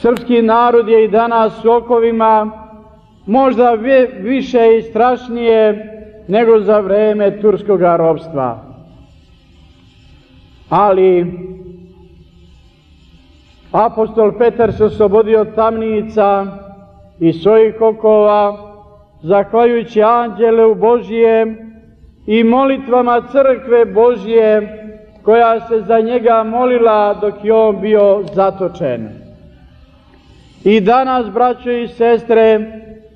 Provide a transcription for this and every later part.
Srpski narod je i danas u okovima, možda više i strašnije nego za vreme turskog ropstva. Ali apostol Petar se oslobodio od tamnica i svojih okova, zahvaljujući anđelu Božije i molitvama crkve Božije, koja se za njega molila dok je on bio zatočen. I danas, braćo i sestre,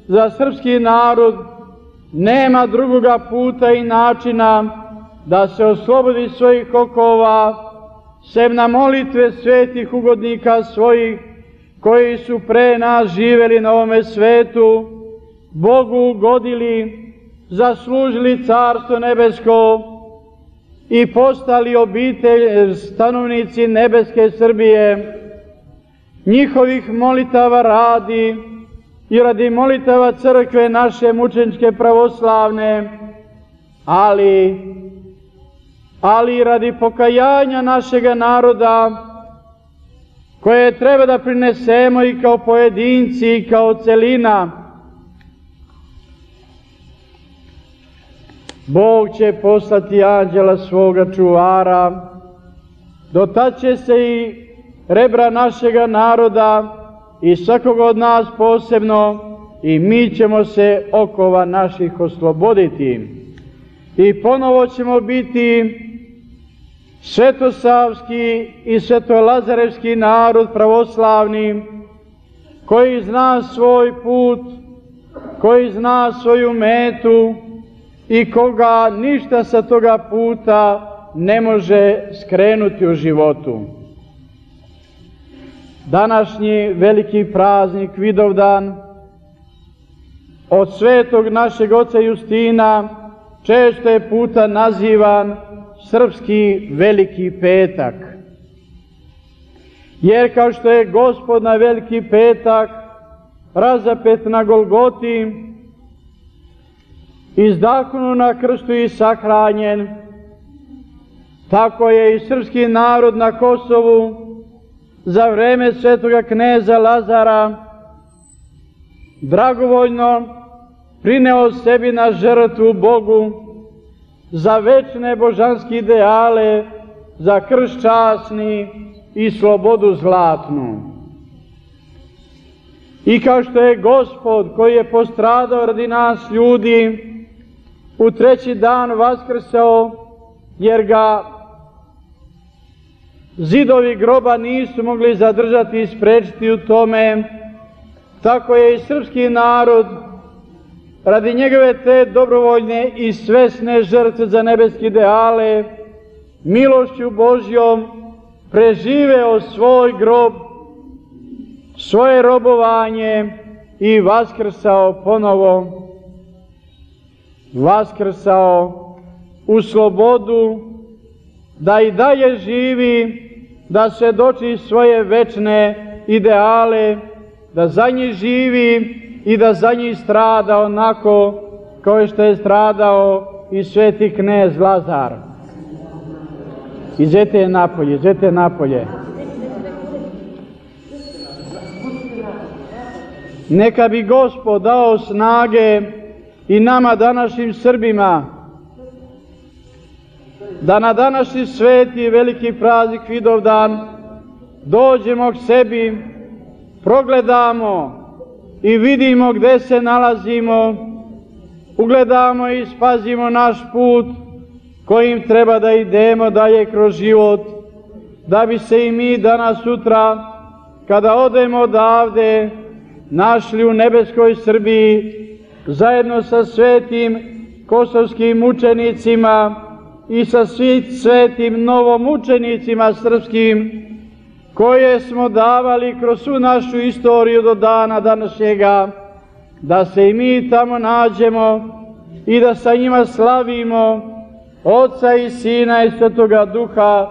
za srpski narod nema drugoga puta i načina da se oslobodi svojih okova, sem na molitve svetih ugodnika svojih, koji su pre nas živeli na ovome svetu, Bogu ugodili, zaslužili Carstvo nebesko i postali obitelj, stanovnici nebeske Srbije. Njihovih molitava radi i radi molitava crkve naše mučeničke pravoslavne, ali i radi pokajanja našega naroda, koje treba da prinesemo i kao pojedinci i kao celina. Bog će poslati anđela svoga čuvara, dotad će se i rebra našega naroda i svakog od nas posebno, i mi ćemo se okova naših osloboditi. I ponovo ćemo biti svetosavski i svetolazarevski narod pravoslavni, koji zna svoj put, koji zna svoju metu i koga ništa sa toga puta ne može skrenuti u životu. Današnji veliki praznik Vidovdan od svetog našeg oca Justina često je puta nazivan srpski veliki petak. Jer kao što je Gospod na veliki petak razapet na Golgoti, izdahnuo na krstu i sahranjen, tako je i srpski narod na Kosovu za vreme svetoga kneza Lazara dragovoljno prineo sebi na žrtvu Bogu za večne božanske ideale, za krst časni i slobodu zlatnu. I kao što je Gospod, koji je postradao radi nas ljudi, u treći dan vaskrsao, jer ga zidovi groba nisu mogli zadržati i sprečiti u tome, tako je i srpski narod radi njegove te dobrovoljne i svesne žrtve za nebeske ideale milošću Božjom preživeo svoj grob, svoje robovanje i vaskrsao ponovo. Vaskrsao u slobodu, da i dalje živi, da svedoči svoje večne ideale, da za njih živi i da za njih strada onako kao što je stradao i sveti knez Lazar. Izete napolje, izete napolje. Neka bi Gospod dao snage i nama današnjim Srbima, da na današnji sveti i veliki praznik Vidovdan dođemo k sebi, progledamo i vidimo gde se nalazimo, ugledamo i spazimo naš put kojim treba da idemo dalje kroz život, da bi se i mi danas sutra, kada odemo odavde, našli u nebeskoj Srbiji, zajedno sa svetim kosovskim mučenicima i sa svim svetim novomučenicima srpskim, koje smo davali kroz svu našu istoriju do dana današnjega, da se i mi tamo nađemo i da sa njima slavimo Oca i Sina i Svetoga Duha,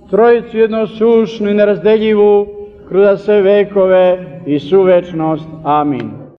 Trojicu jednosušnu i nerazdeljivu, kroz sve vekove i svu večnost. Amin.